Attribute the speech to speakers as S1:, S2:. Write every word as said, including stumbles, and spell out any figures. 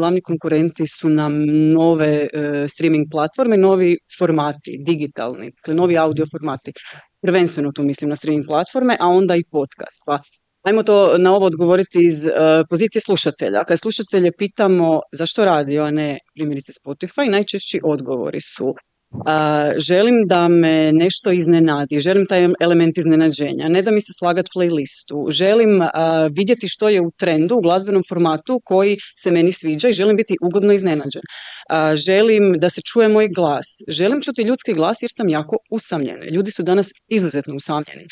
S1: Glavni konkurenti su nam nove e, streaming platforme, novi formati, digitalni, dakle novi audio formati. Prvenstveno tu mislim na streaming platforme, a onda i podcast. Pa ajmo to na ovo odgovoriti iz uh, pozicije slušatelja. Kad slušatelje pitamo zašto radio, a ne primjerice Spotify, najčešći odgovori su Uh, želim da me nešto iznenadi, želim taj element iznenađenja, ne da mi se slagat playlistu, želim uh, vidjeti što je u trendu u glazbenom formatu koji se meni sviđa i želim biti ugodno iznenađen. Uh, želim da se čuje moj glas, želim čuti ljudski glas jer sam jako usamljena. Ljudi su danas izuzetno usamljeni.